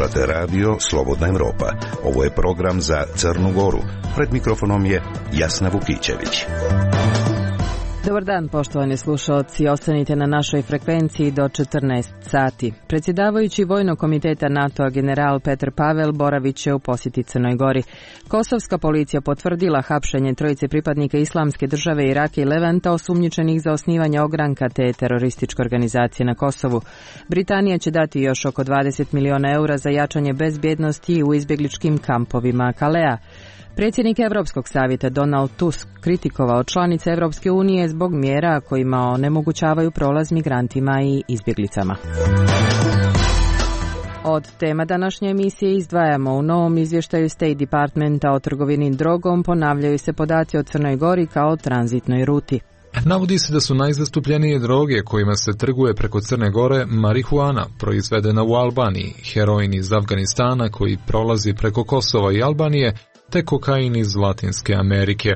Slušate radio Slobodna Evropa. Ovo je program za Crnu Goru. Pred mikrofonom je Jasna Vukićević. Dobar dan, poštovani slušalci. Ostanite na našoj frekvenciji do 14 sati. Predsjedavajući Vojnog komiteta NATO-a general Petr Pavel boravit će u posjeti Crnoj Gori. Kosovska policija potvrdila hapšenje trojice pripadnika Islamske države Iraka i Levanta osumnjičenih za osnivanje ogranka te terorističke organizacije na Kosovu. Britanija će dati još oko 20 miliona eura za jačanje bezbjednosti u izbjegličkim kampovima Kalea. Predsjednik Europskog savjeta Donald Tusk kritikovao članice Europske unije zbog mjera kojima onemogućavaju prolaz migrantima i izbjeglicama. Od tema današnje emisije izdvajamo u novom izvještaju State Departmenta o trgovini drogom ponavljaju se podaci o Crnoj Gori kao tranzitnoj ruti. Navodi se da su najzastupljenije droge kojima se trguje preko Crne Gore marihuana, proizvedena u Albaniji, heroin iz Afganistana koji prolazi preko Kosova i Albanije, te kokain iz Latinske Amerike.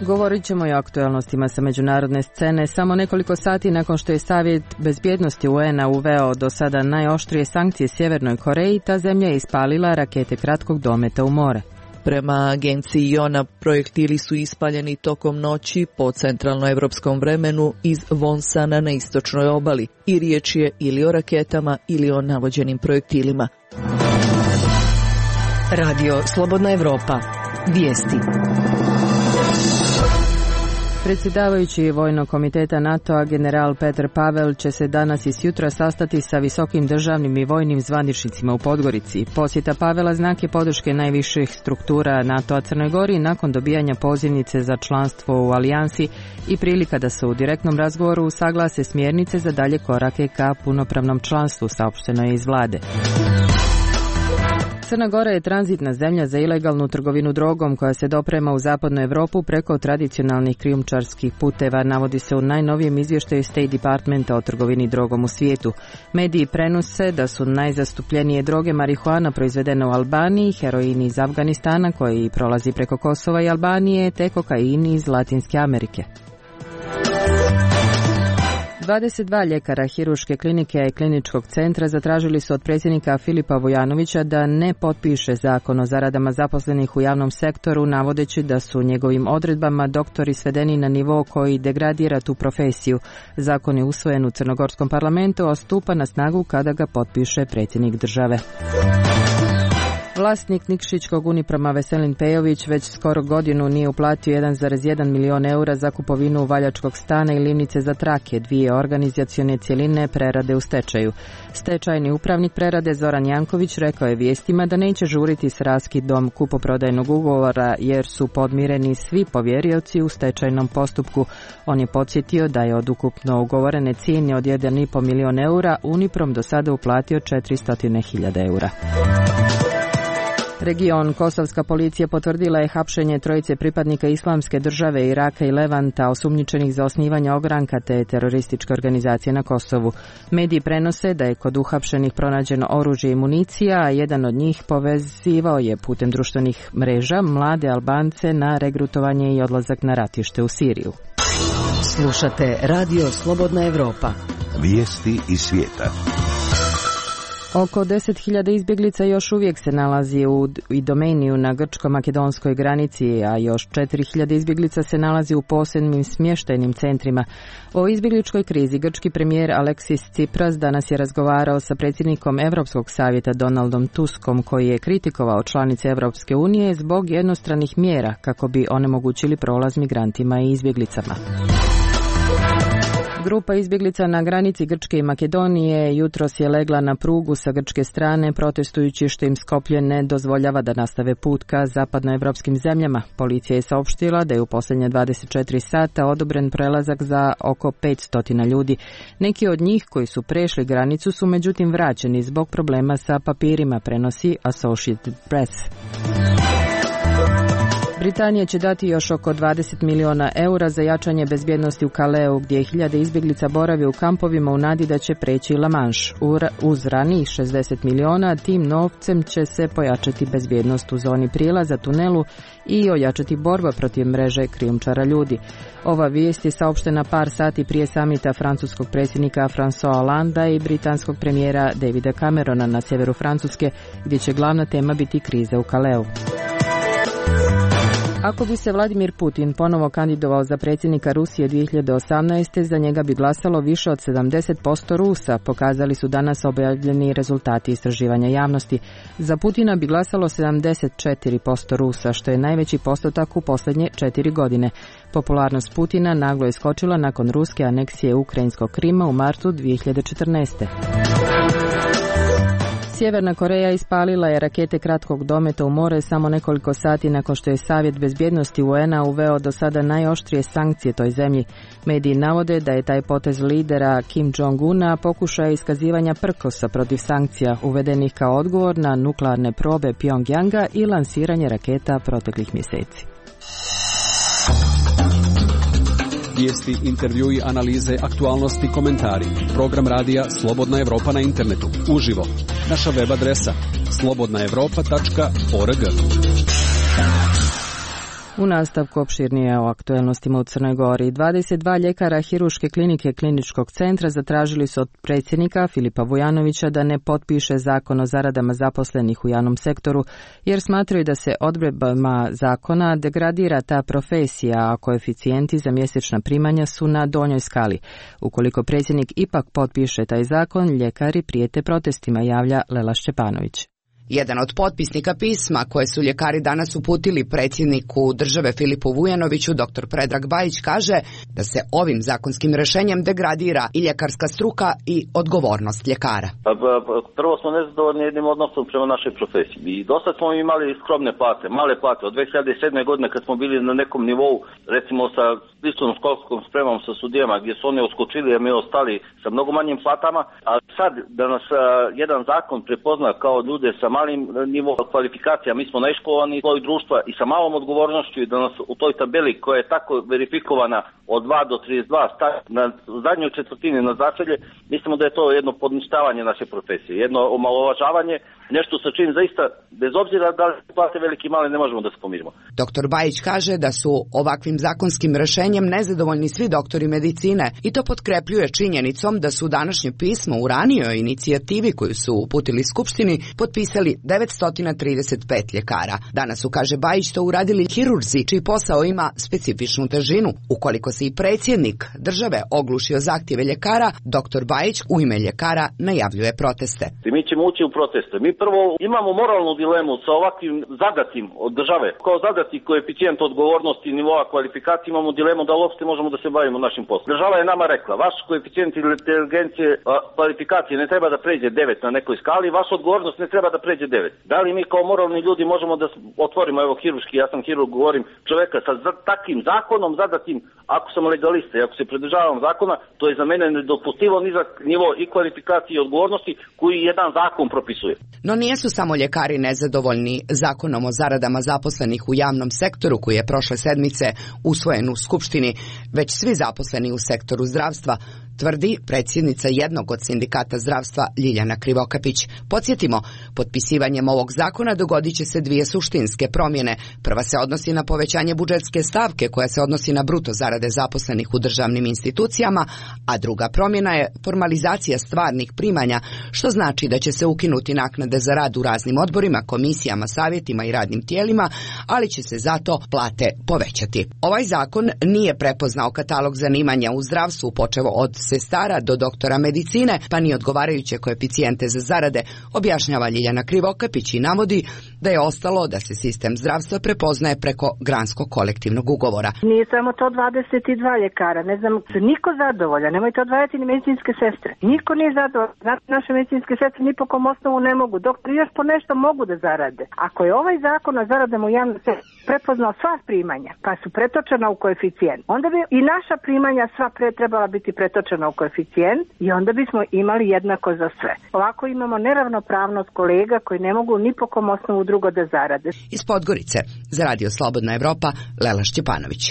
Govorit ćemo i o aktualnostima sa međunarodne scene samo nekoliko sati nakon što je Savjet bezbjednosti UN-a uveo do sada najoštrije sankcije Sjevernoj Koreji, ta zemlja je ispalila rakete kratkog dometa u more. Prema agenciji IONA, projektili su ispaljeni tokom noći po centralnoevropskom vremenu iz Wonsana na istočnoj obali i riječ je ili o raketama ili o navođenim projektilima. Radio Slobodna Evropa. Vijesti. Predsjedavajući Vojnog komiteta NATO-a general Petr Pavel će se danas i sjutra sastati sa visokim državnim i vojnim zvaničnicima u Podgorici. Posjeta Pavela znak je podrške najviših struktura NATO-a Crnoj Gori nakon dobijanja pozivnice za članstvo u alijansi i prilika da se u direktnom razgovoru usaglase smjernice za dalje korake ka punopravnom članstvu, saopšteno je iz vlade. Crna Gora je tranzitna zemlja za ilegalnu trgovinu drogom koja se doprema u zapadnu Europu preko tradicionalnih krijumčarskih puteva, navodi se u najnovijem izvještaju State Departmenta o trgovini drogom u svijetu. Mediji prenose da su najzastupljenije droge marihuana proizvedene u Albaniji, heroin iz Afganistana koji prolazi preko Kosova i Albanije, te kokain iz Latinske Amerike. 22 ljekara Hirurške klinike i kliničkog centra zatražili su od predsjednika Filipa Vujanovića da ne potpiše zakon o zaradama zaposlenih u javnom sektoru, navodeći da su njegovim odredbama doktori svedeni na nivo koji degradira tu profesiju. Zakon je usvojen u Crnogorskom parlamentu, a stupa na snagu kada ga potpiše predsjednik države. Vlasnik Nikšićkog Uniproma Veselin Pejović već skoro godinu nije uplatio 1,1 milion eura za kupovinu valjačkog stana i livnice za trake, dvije organizacione cjeline prerade u stečaju. Stečajni upravnik prerade Zoran Janković rekao je vijestima da neće žuriti s raskidom kupoprodajnog ugovora jer su podmireni svi povjerioci u stečajnom postupku. On je podsjetio da je od ukupno ugovorene cijene od 1,5 milion eura Uniprom do sada uplatio 400.000 eura. Region Kosovska policija potvrdila je hapšenje trojice pripadnika Islamske države Iraka i Levanta osumnjičenih za osnivanje ogranka te terorističke organizacije na Kosovu. Mediji prenose da je kod uhapšenih pronađeno oružje i municija, a jedan od njih povezivao je putem društvenih mreža mlade Albance na regrutovanje i odlazak na ratište u Siriju. Slušate Radio Slobodna Evropa. Vijesti iz svijeta. Oko 10.000 izbjeglica još uvijek se nalazi u Idomeniju na grčko-makedonskoj granici, a još 4.000 izbjeglica se nalazi u posebnim smještajnim centrima. O izbjegličkoj krizi grčki premijer Aleksis Tsipras danas je razgovarao sa predsjednikom Europskog savjeta Donaldom Tuskom, koji je kritikovao članice Europske unije zbog jednostranih mjera kako bi onemogućili prolaz migrantima i izbjeglicama. Grupa izbjeglica na granici Grčke i Makedonije jutros je legla na prugu sa grčke strane protestujući što im Skopje ne dozvoljava da nastave put ka zapadnoevropskim zemljama. Policija je saopštila da je u posljednje 24 sata odobren prelazak za oko 500 ljudi. Neki od njih koji su prešli granicu su međutim vraćeni zbog problema sa papirima, prenosi Associated Press. Britanija će dati još oko 20 miliona eura za jačanje bezbjednosti u Caleu, gdje hiljade izbjeglica boravi u kampovima u nadi da će preći La Manche. Uz ranijih 60 miliona, tim novcem će se pojačati bezbjednost u zoni prijelaza, tunelu i ojačati borba protiv mreže krijumčara ljudi. Ova vijest je saopštena par sati prije samita francuskog predsjednika François Hollanda i britanskog premijera Davida Camerona na sjeveru Francuske, gdje će glavna tema biti kriza u Caleu. Ako bi se Vladimir Putin ponovo kandidovao za predsjednika Rusije 2018. za njega bi glasalo više od 70% Rusa, pokazali su danas objavljeni rezultati istraživanja javnosti. Za Putina bi glasalo 74% Rusa, što je najveći postotak u posljednje 4 godine. Popularnost Putina naglo je skočila nakon ruske aneksije ukrajinskog Krima u martu 2014. Sjeverna Koreja ispalila je rakete kratkog dometa u more samo nekoliko sati nakon što je Savjet bezbjednosti UN-a uveo do sada najoštrije sankcije toj zemlji. Mediji navode da je taj potez lidera Kim Jong-una pokušaj iskazivanja prkosa protiv sankcija uvedenih kao odgovor na nuklearne probe Pyongyanga i lansiranje raketa proteklih mjeseci. Vijesti, intervjui, analize, aktualnosti, komentari. Program radija Slobodna Evropa na internetu. Uživo. Naša web adresa slobodnaevropa.org. U nastavku opširnije o aktuelnostima u Crnoj Gori. 22 ljekara Hirurške klinike Kliničkog centra zatražili su od predsjednika Filipa Vujanovića da ne potpiše zakon o zaradama zaposlenih u javnom sektoru, jer smatraju da se odredbama zakona degradira ta profesija, a koeficijenti za mjesečna primanja su na donjoj skali. Ukoliko predsjednik ipak potpiše taj zakon, ljekari prijete protestima, javlja Lela Šćepanović. Jedan od potpisnika pisma koje su ljekari danas uputili predsjedniku države Filipu Vujanoviću, dr. Predrag Bajić, kaže da se ovim zakonskim rješenjem degradira i ljekarska struka i odgovornost ljekara. Prvo smo nezadovoljni jednim odnosom prema našoj profesiji. I dosta smo imali skromne plate, male plate. Od 2007. godine kad smo bili na nekom nivou, recimo sa sličnom školskom spremom sa sudijama, gdje su oni uskočili, a mi ostali sa mnogo manjim platama. A sad da nas jedan zakon prepozna kao ljude sa malim nivom kvalifikacija, mi smo neiškolovani sloj društva i sa malom odgovornošću, i da nas u toj tabeli koja je tako verifikovana od 2 do 32 stavi na zadnjoj četvrtini na začelje, mislimo da je to jedno podništavanje naše profesije, jedno omalovažavanje, nešto sa čim zaista, bez obzira da li plate veliki i male, ne možemo da se pomirimo. Dr. Bajić kaže da su ovakvim zakonskim rješenjem nezadovoljni svi doktori medicine i to potkrepljuje činjenicom da su današnje pismo u ranijoj inicijativi koju su uputili Skupštini potpisali 935 ljekara. Danas su, kaže Bajić, to uradili hirurzi čiji posao ima specifičnu težinu. Ukoliko se i predsjednik države oglušio zahtjeve ljekara, dr. Bajić u ime ljekara najavljuje proteste. Mi ćemo ući u proteste. Mi prvo imamo moralnu dilemu sa ovakvim zadatim od države. Kao zadati koeficijent odgovornosti i nivoa kvalifikacije imamo dilemu da uopšte možemo da se bavimo našim poslom. Država je nama rekla, vaš koeficijent inteligencije kvalifikacije ne treba da pređe 9 na nekoj skali, vaša odgovornost ne treba da pređe 9. Da li mi kao moralni ljudi možemo da otvorimo, evo hirurški, ja sam hirurg, govorim, čoveka sa takvim zakonom zadatim, ako sam legalista i ako se pridržavam zakona, to je za mene nedopustivo nizak nivo i kvalifikacije i odgovornosti koji jedan zakon propisuje. No nijesu samo ljekari nezadovoljni zakonom o zaradama zaposlenih u javnom sektoru koji je prošle sedmice usvojen u Skupštini, već svi zaposleni u sektoru zdravstva, tvrdi predsjednica jednog od sindikata zdravstva Ljiljana Krivokapić. Podsjetimo, potpisivanjem ovog zakona dogodit će se dvije suštinske promjene. Prva se odnosi na povećanje budžetske stavke koja se odnosi na bruto zarade zaposlenih u državnim institucijama, a druga promjena je formalizacija stvarnih primanja, što znači da će se ukinuti naknade za rad u raznim odborima, komisijama, savjetima i radnim tijelima, ali će se zato plate povećati. Ovaj zakon nije prepoznao katalog zanimanja u zdravstvu, počevo od sestara do doktora medicine, pa ni odgovarajuće koeficijente za zarade, objašnjava Ljiljana Krivokapić i navodi da je ostalo da se sistem zdravstva prepoznaje preko granskog kolektivnog ugovora. Nije samo to 22 ljekara, ne znam, niko zadovoljan, nemojte odvajati ni medicinske sestre. Niko nije zadovoljan, znači naše medicinske sestre ni po kom osnovu ne mogu, doktori još po nešto mogu da zarade. Ako je ovaj zakon o zaradama u javnom sektoru prepoznao sva primanja, pa su pretočena u koeficijent, onda bi i naša primanja sva trebala biti pretočena umešano u koeficijent i onda bismo imali jednako za sve. Ovako imamo neravnopravnost kolega koji ne mogu ni po kom osnovu drugo da zarade. Iz Podgorice, za Radio Slobodna Evropa, Lela Šćepanović.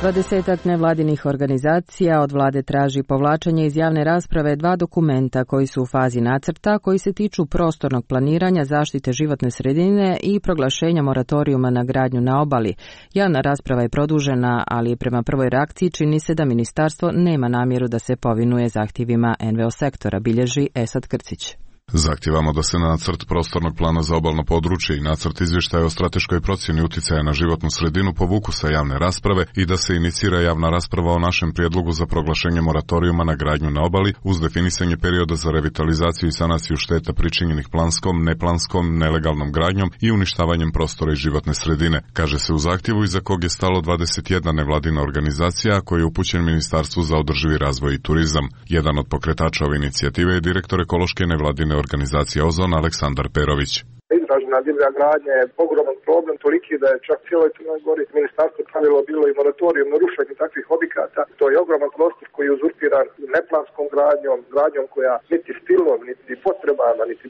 20 nevladinih organizacija od vlade traži povlačenje iz javne rasprave 2 dokumenta koji su u fazi nacrta, koji se tiču prostornog planiranja, zaštite životne sredine i proglašenja moratorijuma na gradnju na obali. Javna rasprava je produžena, ali prema prvoj reakciji čini se da ministarstvo nema namjeru da se povinuje zahtjevima NVO sektora, bilježi Esad Krcić. Zahtijevamo da se nacrt prostornog plana za obalno područje i nacrt izvještaja o strateškoj procjeni utjecaja na životnu sredinu povuku sa javne rasprave i da se inicira javna rasprava o našem prijedlogu za proglašenje moratorijuma na gradnju na obali uz definisanje perioda za revitalizaciju i sanaciju šteta pričinjenih planskom, neplanskom, nelegalnom gradnjom i uništavanjem prostora i životne sredine, kaže se u zahtjevu iza kog je stalo 21 nevladina organizacija koji je upućen Ministarstvu za održivi razvoj i turizam. Jedan od pokretača ove inicijative je direktor ekološke nevladine organizacije Ozon Aleksandar Perović. Izražena divlja gradnja je ogroman problem, toliki da je čak cijeloj Crnoj Gori ministarstvo pravilo bilo i moratorijum na rušenje takvih objekata. To je ogroman prostor koji je uzurpiran neplanskom gradnjom koja niti stilom, niti potrebama, niti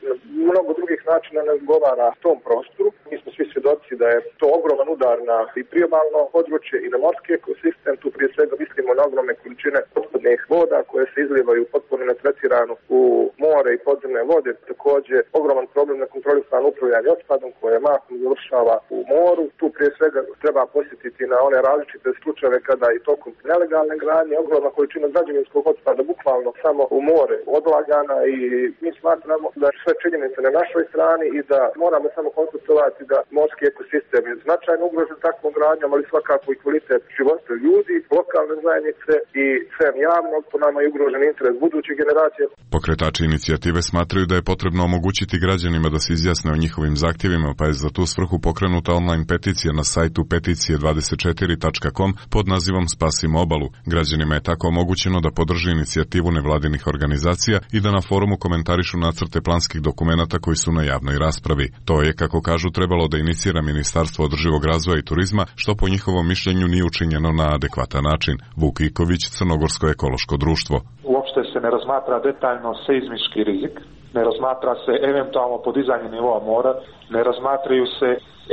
mnogo drugih načina ne odgovara tom prostoru. Mi smo svi svjedoci da je to ogroman udar na i priobalno područje i na morski ekosistem. Tu prije svega mislimo na ogromne količine otpadnih voda koje se izlijevaju potpuno netretirano u more i podzemne vode. Također ogroman problem na kontrolisanu upravljanje otpadom koje mahom završava u moru. Tu prije svega treba posjetiti na one različite slučajeve kada i tokom nelegalne gradnje ogromna količina građevinskog otpada bukvalno samo u more odlagana i mi smatramo da je sve činjenice na našoj strani i da moramo samo konstatovati da morski ekosistem je značajno ugrožen takvom gradnjom, ali svakako i kvalitet života ljudi, lokalne zajednice i sve javnog, po nama je ugrožen interes budućih generacija. Pokretači inicijative smatraju da je potrebno omogućiti građanima da se izjasne o njihovim zahtjevima, pa je za tu svrhu pokrenuta online peticija na sajtu peticije24.com pod nazivom Spasimo obalu. Građanima je tako omogućeno da podrži inicijativu nevladinih organizacija i da na forumu komentarišu nacrte planskih dokumenata koji su na javnoj raspravi. To je, kako kažu, trebalo da inicira Ministarstvo održivog razvoja i turizma, što po njihovom mišljenju nije učinjeno na adekvatan način. Vuk Iković, Crnogorsko ekološko društvo. Uopšte se ne razmatra detaljno seizmički rizik, ne razmatra se eventualno podizanje nivoa mora, ne razmatraju se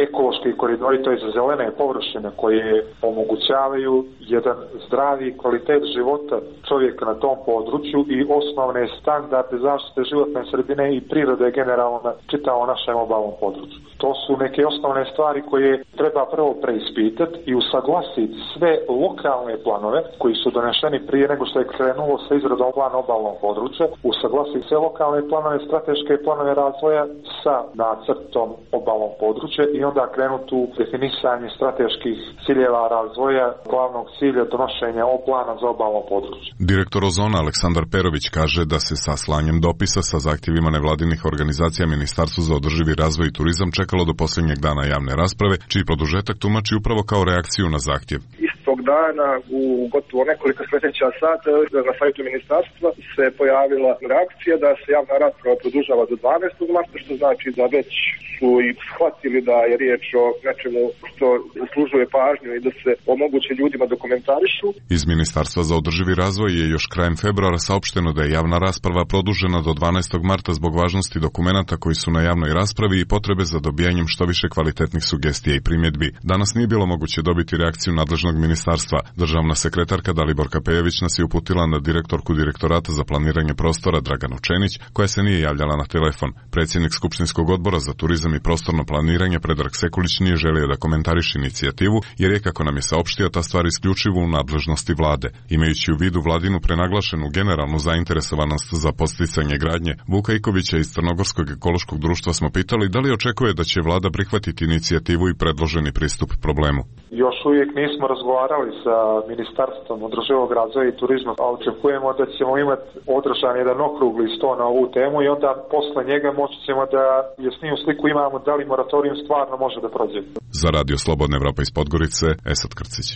ekološki koridori, to je za zelene površine koje omogućavaju jedan zdravi kvalitet života čovjeka na tom području i osnovne standarde zaštite životne sredine i prirode generalno na čitavom našem obalnom području. To su neke osnovne stvari koje treba prvo preispitati i usaglasiti sve lokalne planove koji su doneseni prije nego što je krenulo sa izradom plana obalnog područja, usaglasiti sve lokalne planove, strateške planove razvoja sa nacrtom obalnog područja i onda krenuti u definisanje strateških ciljeva razvoja, glavnog cilja donošenja plana za obalno područje. Direktor Ozona Aleksandar Perović kaže da se sa slanjem dopisa sa zahtjevima nevladinih organizacija Ministarstvu za održivi razvoj i turizam čekalo do posljednjeg dana javne rasprave, čiji produžetak tumači upravo kao reakciju na zahtjev. Istog dana u gotovo nekoliko sljedeća sata na sajtu ministarstva se pojavila reakcija da se javna rasprava produžava do 12. marta, što znači da već su i shvatili da je riječ o nečemu što zaslužuje pažnju i da se omoguće ljudima da komentarišu. Iz Ministarstva za održivi razvoj je još krajem februara saopšteno da je javna rasprava produžena do 12. marta zbog važnosti dokumenata koji su na javnoj raspravi i potrebe za dobijanjem što više kvalitetnih sugestija i primjedbi. Danas nije bilo moguće dobiti reakciju nadležnog ministarstva. Državna sekretarka Daliborka Pejević nas je uputila na direktorku Direktorata za planiranje prostora Draganu Čenić, koja se nije javljala na telefon. Predsjednik Skupštinskog odbora za turizam i prostorno planiranje Predrag Sekulić nije želio da komentariše inicijativu, jer je, kako nam je saopštio, ta stvar isključivo u nadležnosti vlade. Imajući u vidu vladinu prenaglašenu generalnu zainteresovanost za podsticanje gradnje, Vuka Ikovića iz Crnogorskog ekološkog društva smo pitali da li očekuje da će vlada prihvatiti inicijativu i predloženi pristup problemu. Još uvijek nismo razgovarali sa Ministarstvom održivog razvoja i turizma, a očekujemo da ćemo imati održan jedan okrugli sto na ovu temu i onda posle njega moći ćemo da jasniju sliku imamo da li moratorijum stvarno može da prođe. Za Radio Slobodna Evropa iz Podgorice, Esad Krcić.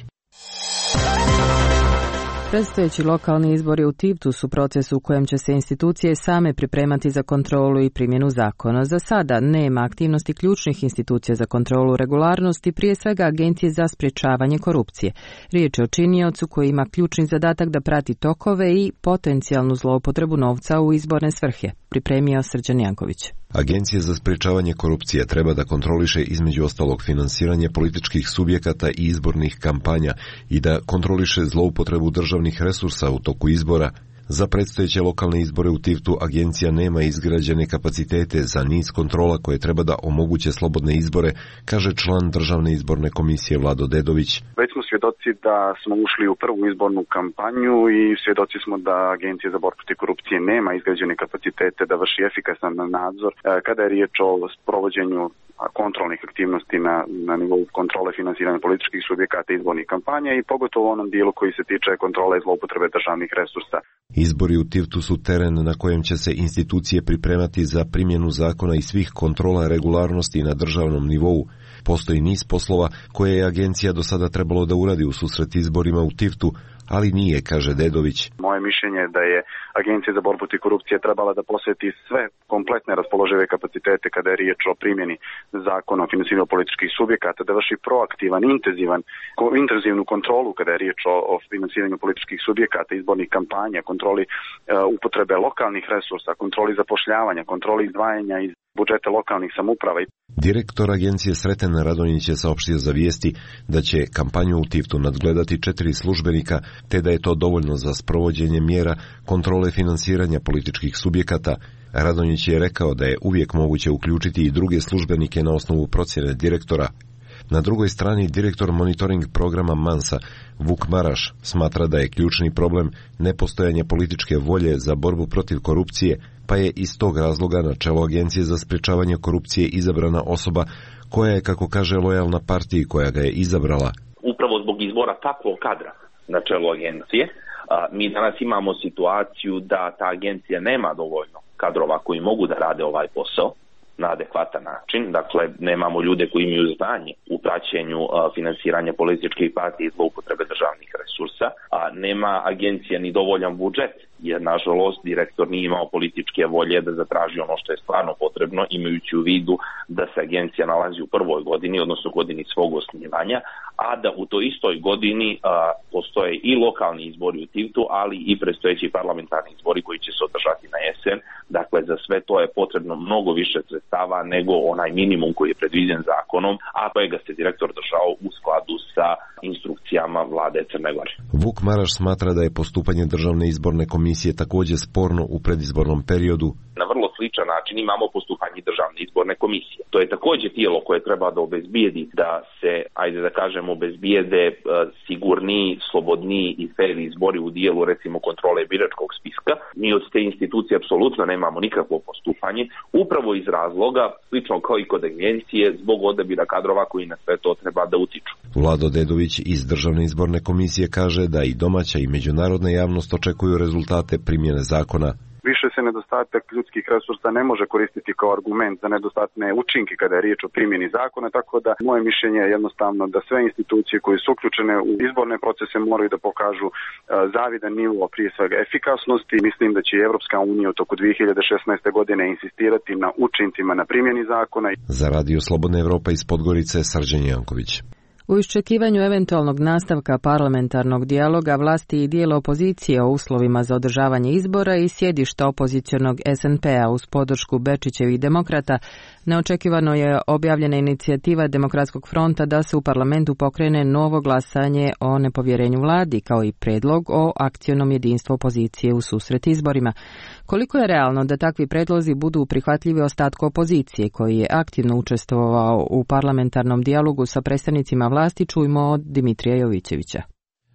Predstojeći lokalni izbori u Tivtu su proces u kojem će se institucije same pripremati za kontrolu i primjenu zakona. Za sada nema aktivnosti ključnih institucija za kontrolu regularnosti, prije svega Agencije za sprječavanje korupcije. Riječ je o činiocu koji ima ključni zadatak da prati tokove i potencijalnu zloupotrebu novca u izborne svrhe, pripremio Srđan Janković. Agencija za sprječavanje korupcije treba da kontroliše između ostalog finansiranje političkih subjekata i izbornih kampanja i da kontroliše zloupotrebu državnih resursa u toku izbora. Za predstojeće lokalne izbore u Tivtu agencija nema izgrađene kapacitete za niz kontrola koje treba da omoguće slobodne izbore, kaže član Državne izborne komisije Vlado Dedović. Već smo svjedoci da smo ušli u prvu izbornu kampanju i svjedoci smo da Agencija za borbu protiv korupcije nema izgrađene kapacitete da vrši efikasan nadzor kada je riječ o provođenju kontrolnih aktivnosti na nivou kontrole finansiranja političkih subjekata izbornih kampanja i pogotovo u onom dijelu koji se tiče kontrole i zloupotrebe državnih resursa. Izbori u Tivtu su teren na kojem će se institucije pripremati za primjenu zakona i svih kontrola regularnosti na državnom nivou. Postoji niz poslova koje je agencija do sada trebalo da uradi u susret izborima u Tivtu, ali nije, kaže Dedović. Moje mišljenje je da je Agencija za borbu protiv korupcije trebala da posveti sve kompletne raspoložive kapacitete kada je riječ o primjeni zakona o finansiranju političkih subjekata, da vrši proaktivan, intenzivnu kontrolu kada je riječ o finansiranju političkih subjekata, izbornih kampanja, kontroli upotrebe lokalnih resursa, kontroli zapošljavanja, kontroli izdvajanja iz budžeta lokalnih samouprava. Direktor agencije Sreten Radonjić je saopštio za Vijesti da će kampanju u Tivtu nadgledati 4 službenika, te da je to dovoljno za sprovođenje mjera kontrole finansiranja političkih subjekata. Radonjić je rekao da je uvijek moguće uključiti i druge službenike na osnovu procjene direktora. Na drugoj strani direktor monitoring programa Mansa, Vuk Maraš, smatra da je ključni problem nepostojanje političke volje za borbu protiv korupcije, pa je iz tog razloga na čelo Agencije za sprječavanje korupcije izabrana osoba koja je, kako kaže, lojalna partiji koja ga je izabrala. Upravo zbog izbora takvog kadra na čelu agencije, mi danas imamo situaciju da ta agencija nema dovoljno kadrova koji mogu da rade ovaj posao na adekvatan način. Dakle, nemamo ljude koji imaju znanje u praćenju finansiranja političkih partija i zloupotrebe državnih resursa, a nema agencija ni dovoljan budžet, jer nažalost direktor nije imao političke volje da zatraži ono što je stvarno potrebno, imajući u vidu da se agencija nalazi u prvoj godini, odnosno godini svog osnivanja, a da u toj istoj godini postoje i lokalni izbori u Tivtu, ali i predstojeći parlamentarni izbori koji će se održati na jesen. Dakle, za sve to je potrebno mnogo više sredstava nego onaj minimum koji je predviđen zakonom, a kojega se direktor držao u skladu sa instrukcijama vlade Crne Gore. Vuk Maraš smatra da je postupanje Državne izborne komisije također sporno u predizbornom periodu. Na vrlo sličan način imamo postupanje Državne izborne komisije. To je također tijelo koje treba da obezbijedi da se, ajde da kažemo, obezbijede sigurniji, slobodniji i fer izbori u dijelu recimo kontrole biračkog spiska. Mi od te institucije apsolutno nemamo nikakvo postupanje, upravo iz razloga, slično kao i kod agencije, zbog odabira kadrova koji na sve to treba da utiču. Vlado Dedović iz Državne izborne komisije kaže da i domaća i međunarodna javnost očekuju rezultate primjene zakona. Više se nedostatak ljudskih resursa ne može koristiti kao argument za nedostatne učinke kada je riječ o primjeni zakona, tako da moje mišljenje je jednostavno da sve institucije koje su uključene u izborne procese moraju da pokažu zavidan nivo, prije svega efikasnosti. Mislim da će Evropska unija u toku 2016. godine insistirati na učincima na primjeni zakona. Za Radio Slobodna Evropa iz Podgorice, Srđan Janković. U iščekivanju eventualnog nastavka parlamentarnog dijaloga vlasti i dijela opozicije o uslovima za održavanje izbora i sjedišta opozicionog SNP-a uz podršku Bečićevih demokrata, neočekivano je objavljena inicijativa Demokratskog fronta da se u parlamentu pokrene novo glasanje o nepovjerenju vladi, kao i predlog o akcionom jedinstvu opozicije u susret izborima. Koliko je realno da takvi predlozi budu prihvatljivi ostatku opozicije, koji je aktivno učestvovao u parlamentarnom dijalogu sa predstavnicima vlasti, čujmo od Dimitrija Jovićevića.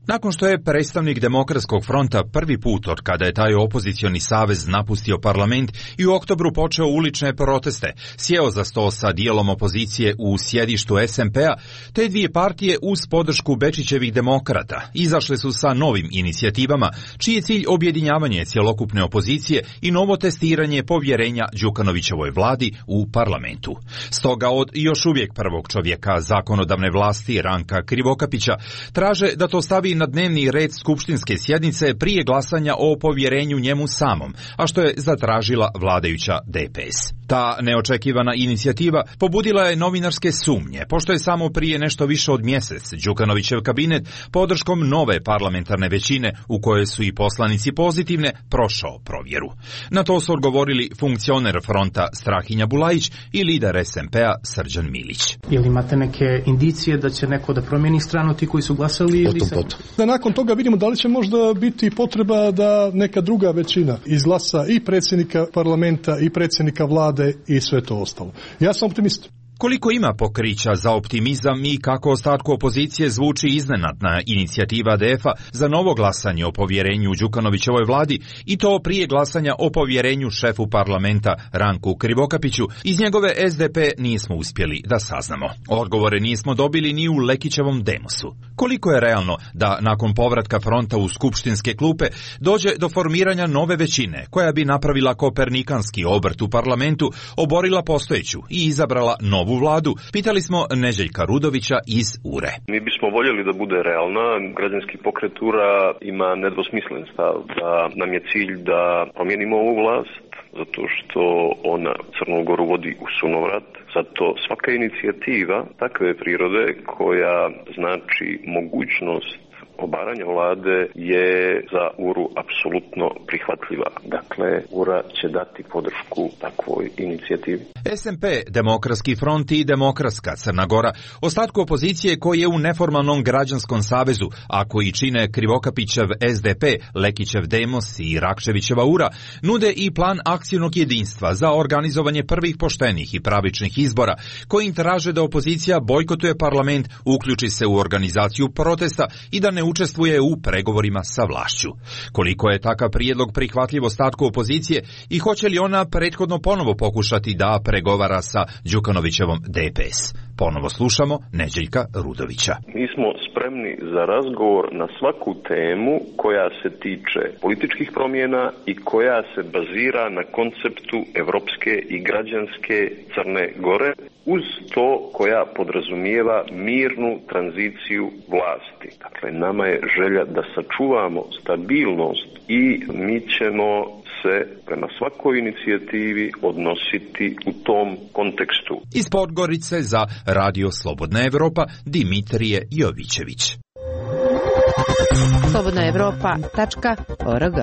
Nakon što je predstavnik Demokratskog fronta prvi put od kada je taj opozicioni savez napustio parlament i u oktobru počeo ulične proteste, sjeo za sto sa dijelom opozicije u sjedištu SMP-a, te dvije partije uz podršku Bečićevih demokrata izašle su sa novim inicijativama, čiji je cilj objedinjavanje cjelokupne opozicije i novo testiranje povjerenja Đukanovićevoj vladi u parlamentu. Stoga od još uvijek prvog čovjeka zakonodavne vlasti Ranka Krivokapića traže da to stavi na dnevni red skupštinske sjednice prije glasanja o povjerenju njemu samom, a što je zatražila vladajuća DPS. Ta neočekivana inicijativa pobudila je novinarske sumnje, pošto je samo prije nešto više od mjesec Đukanovićev kabinet podrškom nove parlamentarne većine, u kojoj su i poslanici pozitivne, prošao provjeru. Na to su odgovorili funkcioner fronta Strahinja Bulajić i lider SMP-a Srđan Milić. Ili imate neke indicije da će neko da promijeni stranu ti koji su glasali? Ili da nakon toga vidimo da li će možda biti potreba da neka druga većina izglasa i predsjednika parlamenta i predsjednika vlade i sve to ostalo. Ja sam optimist. Koliko ima pokrića za optimizam i kako ostatku opozicije zvuči iznenadna inicijativa DF-a za novo glasanje o povjerenju Đukanovićevoj vladi i to prije glasanja o povjerenju šefu parlamenta Ranku Krivokapiću, iz njegove SDP nismo uspjeli da saznamo. Odgovore nismo dobili ni u Lekićevom demosu. Koliko je realno da nakon povratka fronta u skupštinske klupe dođe do formiranja nove većine koja bi napravila kopernikanski obrt u parlamentu, oborila postojeću i izabrala novu vladu, pitali smo Neđeljka Rudovića iz URE. Mi bismo voljeli da bude realna. Građanski pokret URA ima nedvosmislen stav da nam je cilj da promijenimo ovu vlast, zato što ona Crnu Goru vodi u sunovrat. Zato svaka inicijativa takve prirode koja znači mogućnost obaranja vlade je za URU apsolutno prihvatljiva. Dakle, URA će dati podršku takvoj inicijativi. SMP, Demokratski front i Demokratska Crna Gora, ostatku opozicije koji je u neformalnom građanskom savezu, a koji čine Krivokapićev SDP, Lekićev Demos i Rakčevićeva URA, nude i plan akcijnog jedinstva za organizovanje prvih poštenih i pravičnih izbora, koji traže da opozicija bojkotuje parlament, uključi se u organizaciju protesta i da ne učestvuje u pregovorima sa vlašću. Koliko je takav prijedlog prihvatljiv ostatku opozicije i hoće li ona prethodno ponovo pokušati da pregovara sa Đukanovićevom DPS? Ponovo slušamo Neđeljka Rudovića. Mi smo spremni za razgovor na svaku temu koja se tiče političkih promjena i koja se bazira na konceptu evropske i građanske Crne Gore, uz to koja podrazumijeva mirnu tranziciju vlasti. Dakle, nama je želja da sačuvamo stabilnost i mi ćemo se prema svakoj inicijativi odnositi u tom kontekstu. Iz Podgorice za Radio Slobodna Evropa Dimitrije Jovićević. slobodnaevropa.org.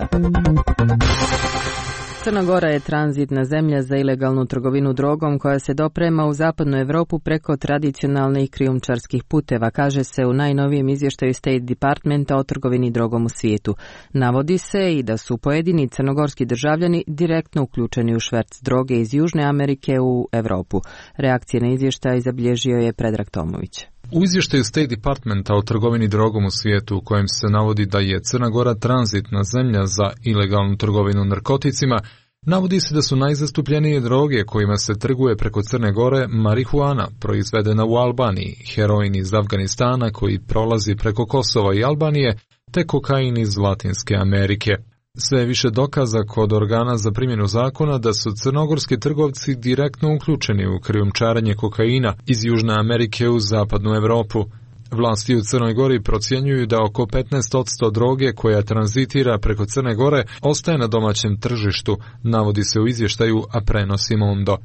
Crna Gora je tranzitna zemlja za ilegalnu trgovinu drogom koja se doprema u zapadnu Europu preko tradicionalnih krijumčarskih puteva, kaže se u najnovijem izvještaju State Departmenta o trgovini drogom u svijetu. Navodi se i da su pojedini crnogorski državljani direktno uključeni u šverc droge iz Južne Amerike u Europu. Reakcije na izvještaj zabilježio je Predrag Tomović. U izvještaju State Departmenta o trgovini drogom u svijetu, u kojem se navodi da je Crna Gora tranzitna zemlja za ilegalnu trgovinu narkoticima, navodi se da su najzastupljenije droge kojima se trguje preko Crne Gore marihuana, proizvedena u Albaniji, heroin iz Afganistana koji prolazi preko Kosova i Albanije, te kokain iz Latinske Amerike. Sve je više dokaza kod organa za primjenu zakona da su crnogorski trgovci direktno uključeni u krijumčarenje kokaina iz Južne Amerike u zapadnu Europu. Vlasti u Crnoj Gori procjenjuju da oko 15% droge koja tranzitira preko Crne Gore ostaje na domaćem tržištu, navodi se u izvještaju, a prenosi Mondo.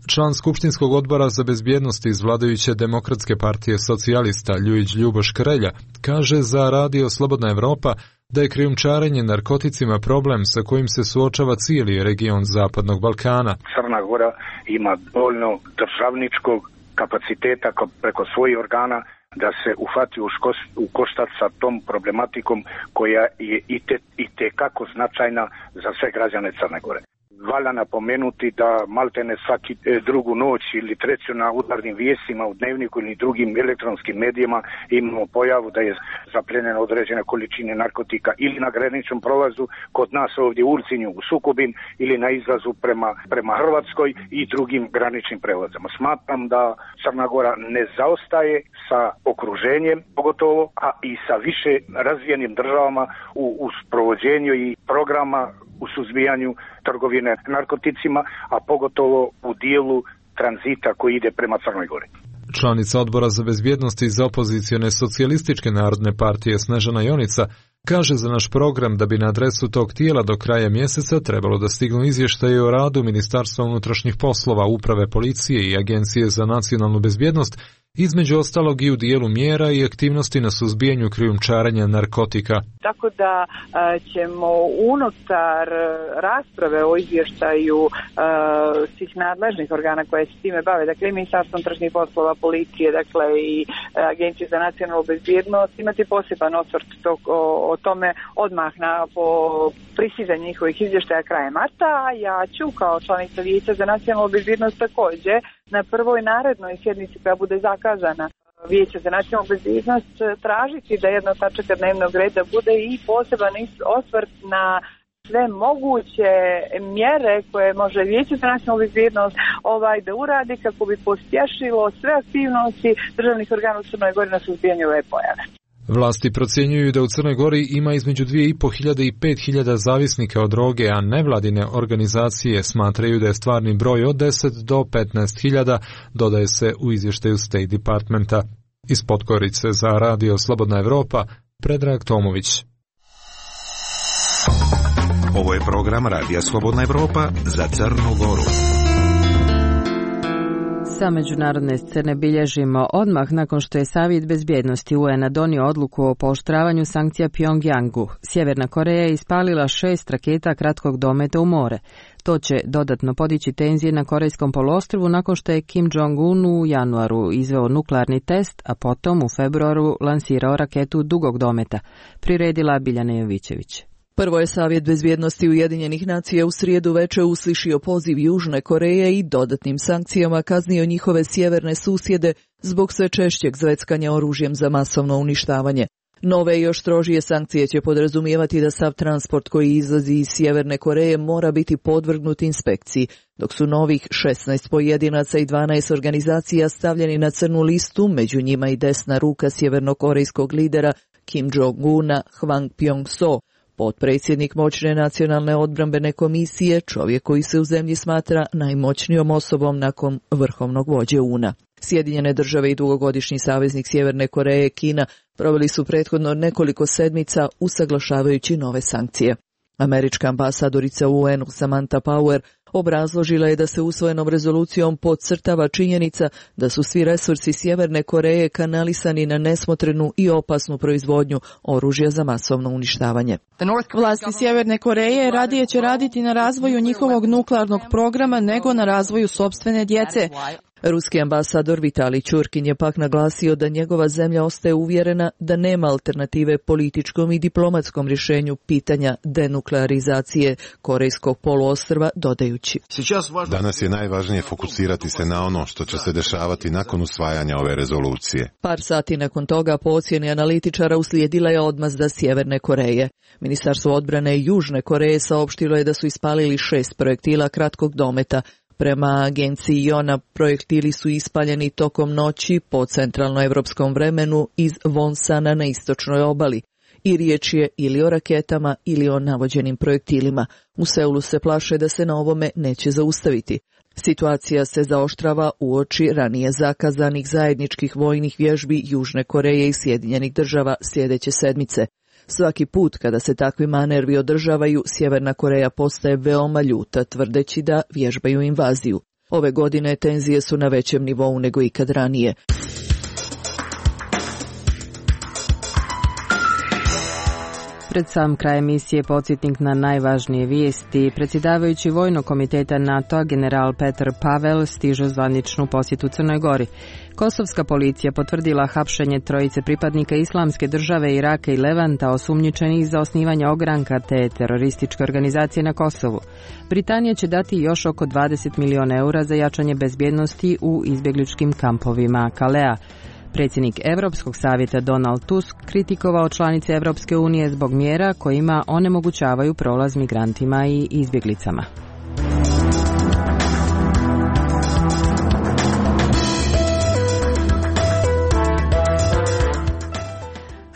Član Skupštinskog odbora za bezbjednost iz vladajuće Demokratske partije socijalista Ljujić Ljuboš Krelja kaže za Radio Slobodna Evropa da je krijumčarenje narkoticima problem sa kojim se suočava cijeli region Zapadnog Balkana. Crna Gora ima dovoljno državničkog kapaciteta preko svojih organa da se uhvati u koštac sa tom problematikom koja je i tekako značajna za sve građane Crne Gore. Valja napomenuti da maltene svaki drugu noć ili treću na udarnim vijestima u Dnevniku ili drugim elektronskim medijima imamo pojavu da je zaplenjena određene količine narkotika ili na graničnom prolazu kod nas ovdje u Ulcinju u Sukobin ili na izlazu prema Hrvatskoj i drugim graničnim prelazama. Smatram da Crna Gora ne zaostaje sa okruženjem pogotovo, a i sa više razvijenim državama u sprovođenju i programa u suzbijanju trgovine narkoticima, a pogotovo u dijelu tranzita koji ide prema Crnoj Gori. Članica odbora za bezbjednost iz opozicione socijalističke narodne partije Snežana Jonica kaže za naš program da bi na adresu tog tijela do kraja mjeseca trebalo da stignu izvještaje o radu Ministarstva unutrašnjih poslova, Uprave policije i Agencije za nacionalnu bezbjednost, između ostalog i u dijelu mjera i aktivnosti na suzbijanju krijumčarenja narkotika. Tako da ćemo unutar rasprave o izvještaju svih nadležnih organa koje se time bave, dakle i Ministarstvo unutrašnjih poslova, policije, dakle i Agencije za nacionalnu bezbjednost, imati poseban osvrt o tome odmah po pristizanju njihovih izvještaja krajem marta, a ja ću kao članica Vijeća za nacionalnu bezbjednost također na prvoj narednoj sjednici koja bude zakazana Vijeća za nacionalnu bezbjednost tražiti da jedna od tačaka dnevnog reda bude i poseban osvrt na sve moguće mjere koje može Vijeće za nacionalnu bezbjednost da uradi kako bi pospješilo sve aktivnosti državnih organa u Crnoj Gori na suzbijanju ove pojave. Vlasti procjenjuju da u Crnoj Gori ima između 2.500 i 5.000 zavisnika od droge, a nevladine organizacije smatraju da je stvarni broj od 10 do 15.000, dodaje se u izvještaju State Departmenta. Iz Podgorice za Radio Slobodna Evropa, Predrag Tomović. Ovo je program Radija Slobodna Evropa za Crnu Goru. Sa međunarodne scene bilježimo odmah nakon što je Savjet bezbjednosti UN-a donio odluku o pooštravanju sankcija Pjongjangu. Sjeverna Koreja je ispalila 6 raketa kratkog dometa u more. To će dodatno podići tenzije na Korejskom poluostrvu nakon što je Kim Jong-un u januaru izveo nuklearni test, a potom u februaru lansirao raketu dugog dometa, priredila Biljana Jovićević. Prvo je Savjet bezbjednosti Ujedinjenih nacija u srijedu večer uslišio poziv Južne Koreje i dodatnim sankcijama kaznio njihove sjeverne susjede zbog sve češćeg zveckanja oružjem za masovno uništavanje. Nove i još strožije sankcije će podrazumijevati da sav transport koji izlazi iz Sjeverne Koreje mora biti podvrgnut inspekciji, dok su novih 16 pojedinaca i 12 organizacija stavljeni na crnu listu, među njima i desna ruka sjevernokorejskog lidera Kim Jong-una Hwang Pyong-so, potpredsjednik moćne nacionalne odbrambene komisije, čovjek koji se u zemlji smatra najmoćnijom osobom nakon vrhovnog vođe UNA. Sjedinjene države i dugogodišnji saveznik Sjeverne Koreje, Kina, proveli su prethodno nekoliko sedmica usaglašavajući nove sankcije. Američka ambasadorica u UN-u Samantha Power obrazložila je da se usvojenom rezolucijom podcrtava činjenica da su svi resursi Sjeverne Koreje kanalisani na nesmotrenu i opasnu proizvodnju oružja za masovno uništavanje. Vlasti Sjeverne Koreje radije će raditi na razvoju njihovog nuklearnog programa nego na razvoju sopstvene djece. Ruski ambasador Vitalij Čurkin je pak naglasio da njegova zemlja ostaje uvjerena da nema alternative političkom i diplomatskom rješenju pitanja denuklearizacije Korejskog poluostrva, dodajući: Danas je najvažnije fokusirati se na ono što će se dešavati nakon usvajanja ove rezolucije. Par sati nakon toga, po ocjeni analitičara, uslijedila je odmazda Sjeverne Koreje. Ministarstvo odbrane Južne Koreje saopštilo je da su ispalili 6 projektila kratkog dometa. Prema agenciji JONA, projektili su ispaljeni tokom noći po centralnoevropskom vremenu iz Vonsana na istočnoj obali. I riječ je ili o raketama ili o navođenim projektilima. U Seulu se plaše da se na ovome neće zaustaviti. Situacija se zaoštrava uoči ranije zakazanih zajedničkih vojnih vježbi Južne Koreje i Sjedinjenih država sljedeće sedmice. Svaki put kada se takvi manervi održavaju, Sjeverna Koreja postaje veoma ljuta, tvrdeći da vježbaju invaziju. Ove godine tenzije su na većem nivou nego ikad ranije. Pred sam kraj emisije podsjetnik na najvažnije vijesti. Predsjedavajući Vojnog komiteta NATO-a general Petar Pavel stiže zvaničnu posjetu Crnoj Gori. Kosovska policija potvrdila hapšenje trojice pripadnika Islamske države Iraka i Levanta osumnjičenih za osnivanje ogranka te terorističke organizacije na Kosovu. Britanija će dati još oko 20 milijuna eura za jačanje bezbjednosti u izbjegličkim kampovima Kalea. Predsjednik Europskog savjeta Donald Tusk kritikovao članice Europske unije zbog mjera kojima onemogućavaju prolaz migrantima i izbjeglicama.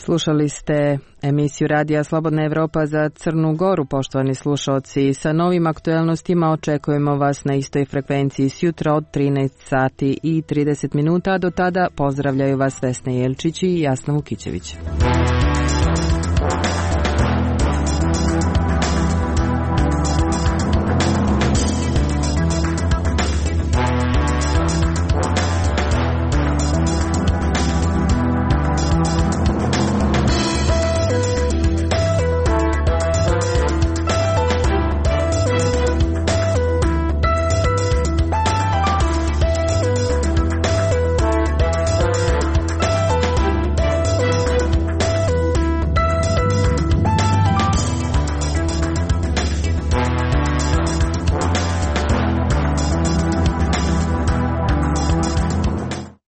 Slušali ste emisiju Radija Slobodna Evropa za Crnu Goru, poštovani slušalci. Sa novim aktuelnostima očekujemo vas na istoj frekvenciji sjutra od 13 sati i 30 minuta. Do tada pozdravljaju vas Vesna Jelčić i Jasna Vukićević.